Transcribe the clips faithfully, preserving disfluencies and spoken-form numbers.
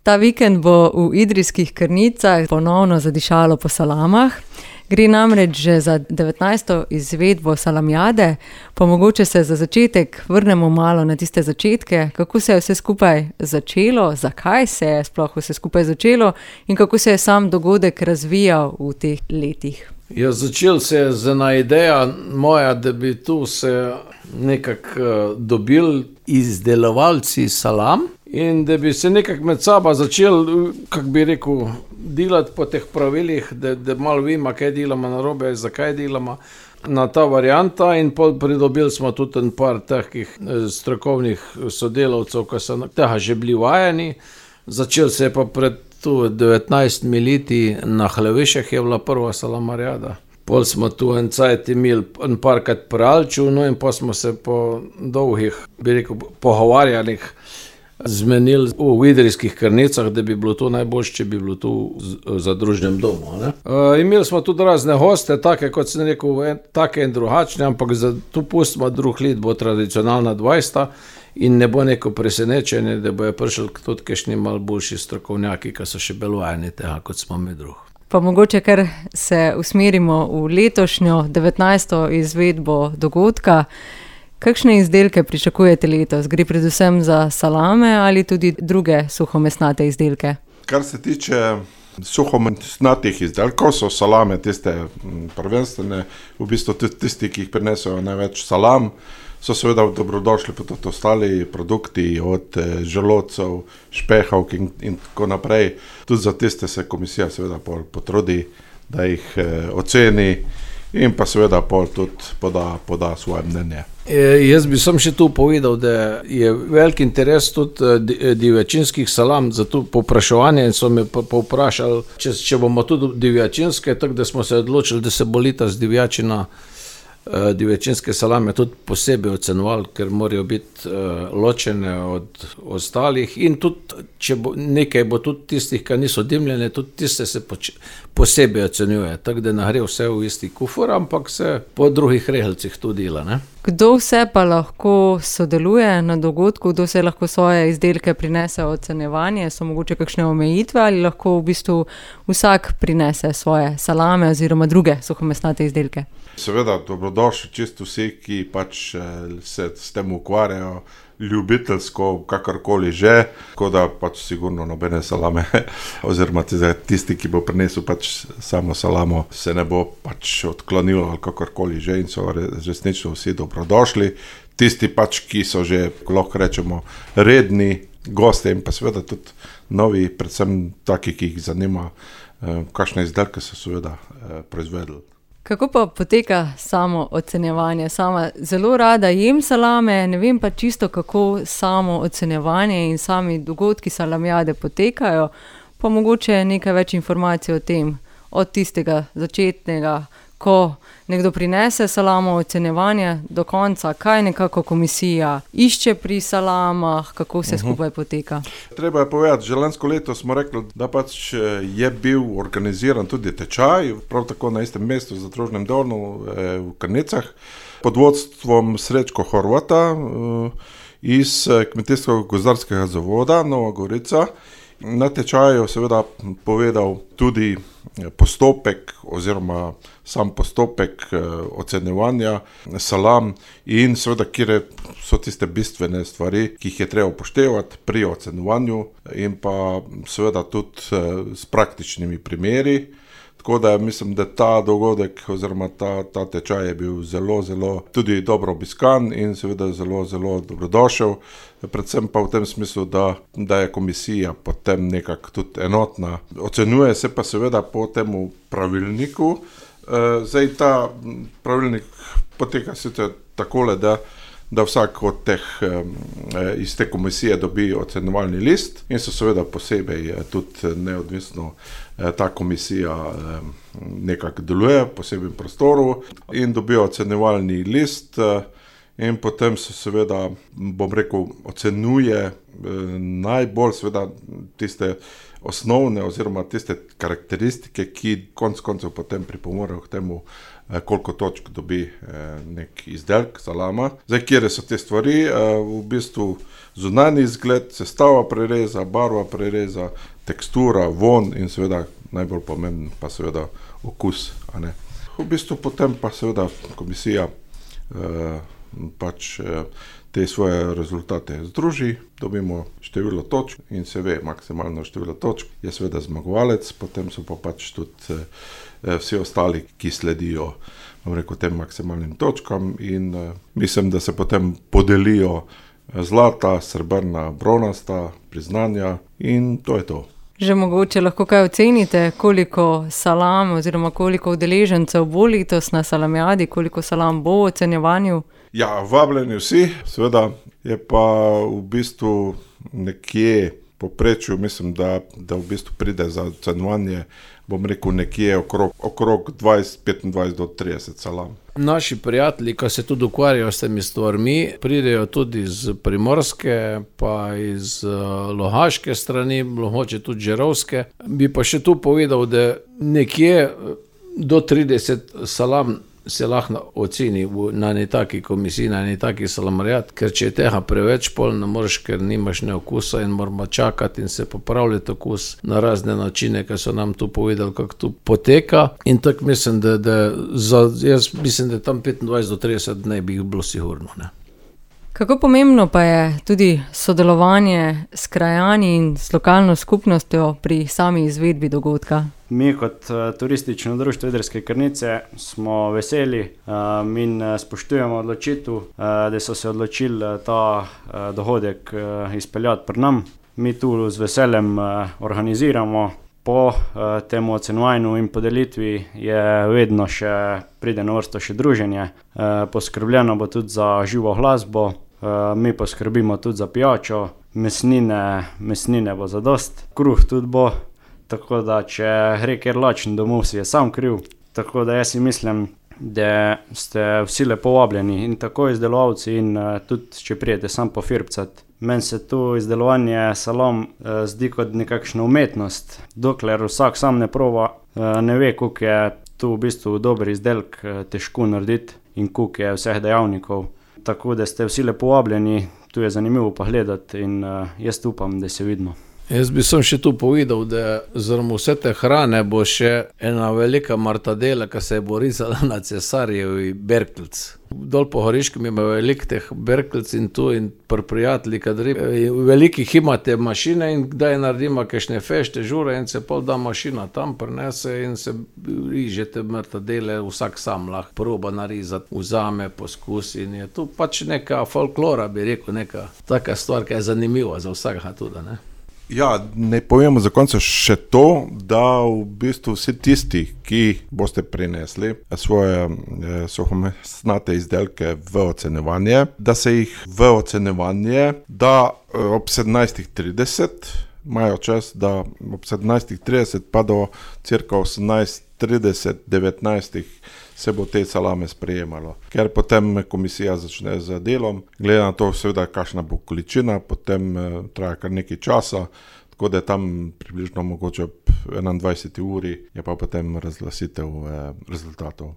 Ta vikend bo v Idrijskih Krnicah ponovno zadišalo po salamah. Gre namreč že za devetnajsto izvedbo salamijade, pa mogoče se za začetek vrnemo malo na tiste začetke, kako se je vse skupaj začelo, zakaj se je sploh vse skupaj začelo in kako se je sam dogodek razvijal v teh letih. Ja, začel se je z ena ideja moja, da bi tu se nekako dobil izdelovalci salam in da bi se nekako med sabo začel, kako bi rekel, delati po teh pravilih, da, da malo vima, kaj delamo narobe, zakaj delamo na ta varianta in pridobili smo tudi en par takih strokovnih sodelavcev, ki so tega že bili vajeni. Začel se je pa pred tu devetnajstimi leti na Hlevišah je bila prva salamarjada. Pol smo tu en cajt imeli en parkrat pralču, no in pa smo se po dolgih, bi rekel, pogovarjanjih zmenili v Idrijskih Krnicah, da bi bilo to najboljše, če bi bilo tu za družnem domu. Ne? E, imeli smo tudi razne goste, take, kot sem rekel, en, take in drugačne, ampak za tu pustimo drug let, bo tradicionalna dvajseta in ne bo neko presenečenje, da bojo prišli tudi kakšni malo boljši strokovnjaki, ki so še belvajeni tega, kot smo mi drugi. Pa mogoče, ker se usmerimo v letošnjo devetnajsto izvedbo dogodka, kakšne izdelke pričakujete letos? Gre predvsem za salame ali tudi druge suhomesnate izdelke? Kar se tiče suhomesnatih izdelkov, so salame tiste prvenstvene, v bistvu tisti, ki jih prinesejo največ salam, so seveda dobrodošli pa tudi ostali produkti od želodcev, špehovk in, in tako naprej. Tudi za tiste se komisija seveda potrudi, da jih eh, oceni in pa seveda pol tudi poda, poda svoje mnenje. E, jaz bi sem še tu povedal, da je velik interes tudi divjačinskih salam za to povpraševanje in so me povprašali, če, če bomo tudi divjačinske, tako da smo se odločili, da se bo letos divjačina divjačinske salame tudi posebej ocenovali, ker morajo biti uh, ločene od ostalih in tudi, če bo, nekaj bo tudi tistih, ki niso dimljene, tudi tiste se poč- posebej ocenjuje, tako da ne gre vse v isti kufur, ampak se po drugih rehelcih tudi dela. Ne? Kdo vse pa lahko sodeluje na dogodku, kdo se lahko svoje izdelke prinese ocenjevanje, so mogoče kakšne omejitve ali lahko v bistvu vsak prinese svoje salame oziroma druge suhomesnate izdelke? Seveda, dobrodošli čisto vsi, ki pač se s tem ukvarjajo ljubiteljsko, kakorkoli že, tako da pač sigurno nobene salame, oziroma tisti, ki bo prinesel pač samo salamo, se ne bo pač odklonilo ali kakorkoli že in so resnično vsi dobrodošli. Tisti pač, ki so že, lahko rečemo, redni gosti in pa seveda tudi novi, predvsem taki, ki jih zanima, kakšne izdelke so seveda proizvedli. Kako pa poteka samo ocenjevanje? Sama zelo rada jem salame, ne vem pa čisto, kako samo ocenjevanje in sami dogodki salamijade potekajo, pa mogoče nekaj več informacij o tem, od tistega začetnega, ko nekdo prinese salamo, ocenjevanje do konca, kaj nekako komisija išče pri salamah, kako vse skupaj poteka. Treba je povedati, že lansko leto smo rekli, da pač je bil organiziran tudi tečaj, prav tako na istem mestu za družnem domu v Krnicah, pod vodstvom Srečko Horvata iz Kmetijsko-gozdarskega zavoda Nova Gorica. Na tečaju seveda povedal tudi postopek oziroma sam postopek ocenjevanja salam in seveda, kjer so tiste bistvene stvari, ki jih je treba upoštevati pri ocenjevanju in pa seveda tudi s praktičnimi primeri. Tako da mislim, da ta dogodek oziroma ta, ta tečaj je bil zelo, zelo tudi dobro obiskan in seveda zelo, zelo dobrodošel. Predvsem pa v tem smislu, da, da je komisija potem nekako tudi enotna. Ocenjuje se pa seveda po temu pravilniku. Zdaj ta pravilnik poteka sicer takole, da da vsak od teh iz te komisije dobi ocenjevalni list in so seveda posebej tudi neodvisno ta komisija nekako deluje v posebnem prostoru in dobijo ocenjevalni list in potem se seveda, bom rekel, ocenjuje eh, najbolj seveda tiste osnovne oziroma tiste karakteristike, ki konc koncev potem pripomorejo k temu, eh, koliko točk dobi eh, nek izdelek salama. Zdaj, kjer so te stvari, eh, v bistvu zunanji izgled, sestava prereza, barva prereza, tekstura, von in seveda najbolj pomemben pa seveda okus, a ne. V bistvu potem pa seveda komisija eh, pač eh, te svoje rezultate združi, dobimo število točk in se ve maksimalno število točk, je seveda zmagovalec, potem so pa pač tudi eh, vsi ostali, ki sledijo, bom rekel, tem maksimalnim točkam in eh, mislim, da se potem podelijo zlata, srebrna, bronasta priznanja in to je to. Že mogoče lahko kaj ocenite, koliko salam oziroma koliko udeležencev bo letos na salamijadi, koliko salam bo v ocenjevanju? Ja, vabljeni vsi, seveda je pa v bistvu nekje povprečju, mislim, da, da v bistvu pride za ocenjevanje, bom rekel, nekje okrog, okrog dvajset, petindvajset do trideset salam. Naši prijatelji, ki se tudi ukvarjajo s temi stvarmi, pridejo tudi iz Primorske, pa iz uh, Lohaške strani, mogoče tudi Žerovske. Bi pa še tu povedal, da nekje do trideset salam se lahko oceni v, na eni taki komisiji, na eni taki salamarijad, ker če je tega preveč, pol ne moreš, ker nimaš ne okusa in moramo čakati in se popravljati okus na razne načine, ki so nam tu povedali, kako tu poteka. In tako mislim, da, da za, jaz mislim, da tam petindvajset do trideset ne bi bilo sigurno, ne. Kako pomembno pa je tudi sodelovanje s krajani in s lokalno skupnostjo pri sami izvedbi dogodka? Mi kot uh, turistično društvo Idrijske Krnice smo veseli uh, in uh, spoštujemo odločitev, uh, da so se odločili uh, ta uh, dogodek uh, izpeljati pri nam. Mi tu z veseljem uh, organiziramo. Po uh, temu ocenjevanju in podelitvi je vedno še pride na vrsto še druženje. Uh, poskrbljeno bo tudi za živo glasbo, uh, mi poskrbimo tudi za pijačo, mesnine, mesnine bo zadost, kruh tudi bo. Tako da, če gre kjer lačen domov, si je sam kriv. Tako da jaz si mislim, da ste vsi lepo vabljeni in tako izdelovalci in uh, tudi, če prijete sam pofirbcat. Meni se tu izdelovanje salam uh, zdi kot nekakšna umetnost. Dokler vsak sam ne proba, uh, ne ve, koliko je tu v bistvu dober izdelek uh, težko narediti in koliko je vseh dejavnikov. Tako da ste vsi lepo vabljeni, tu je zanimivo pogledati in uh, jaz upam, da se vidimo. Jaz bi sem še tu povedal, da zaradi vse te hrane bo še ena velika martadela, ki se bo risala na Cesarjevi berkelc. Dol po Horiškem ima veliko teh berkelc in tu in pri prijatelji, kadri velikih imate mašine in kdaj naredimo kakšne fešte, žure in se pol da mašina tam prinese in se rižete martadele, vsak sam lahko proba narizati, vzame, poskusi in je tu pač neka folklora, bi rekel, neka taka stvar, ki je zanimiva za vsakega tudi, ne. Ja, ne povemo za konec še to, da v bistvu vsi tisti, ki boste prinesli svoje eh, suhomesnate izdelke v ocenjevanje, da se jih v ocenjevanje, da eh, ob sedemnajstih trideset imajo čas, da ob sedemnajstih trideset pa do cirka osemnajst trideset, devetnajstih se bo te salame sprejemalo. Ker potem komisija začne z delom, glede na to seveda, kakšna bo količina, potem eh, traja kar nekaj časa, tako da tam približno mogoče ob enaindvajseti uri je pa potem razglasitev eh, rezultatov.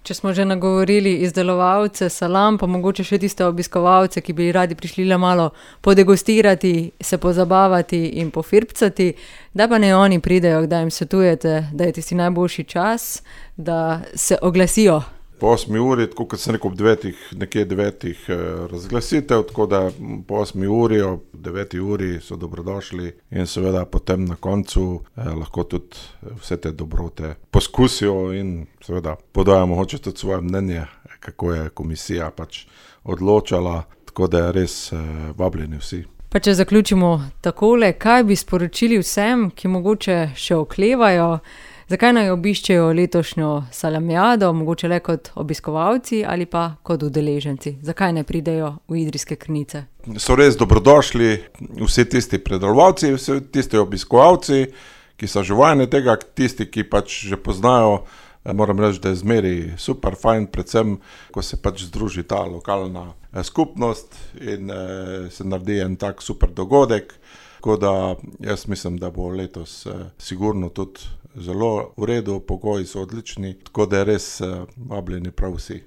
Če smo že nagovorili izdelovalce salam, pa mogoče še tiste obiskovalce, ki bi radi prišli le malo podegustirati, se pozabavati in pofirbcati, da pa ne oni pridejo, da jim svetujete, da je tisti najboljši čas, da se oglasijo. Po osmi uri, tako kot sem rekel, ob devetih, nekje devetih eh, razglasitev, tako da po osmi uri, ob deveti uri so dobrodošli in seveda potem na koncu eh, lahko tudi vse te dobrote poskusijo in seveda podajo mogoče tudi svoje mnenje, kako je komisija pač odločala, tako da je res eh, vabljeni vsi. Pa če zaključimo takole, kaj bi sporočili vsem, ki mogoče še oklevajo, zakaj naj obiščejo letošnjo salamijado, mogoče le kot obiskovalci ali pa kot udeleženci? Zakaj ne pridejo v Idrijske Krnice? So res dobrodošli vsi tisti predelovalci, vsi tisti obiskovalci, ki so že vajeni tega, tisti, ki pač že poznajo Moram reči, da je zmeri super fajn, predvsem, ko se pač združi ta lokalna skupnost in se naredi en tak super dogodek. Tako da jaz mislim, da bo letos sigurno tudi zelo v redu, pogoji so odlični, tako da je res vabljeni prav vsi.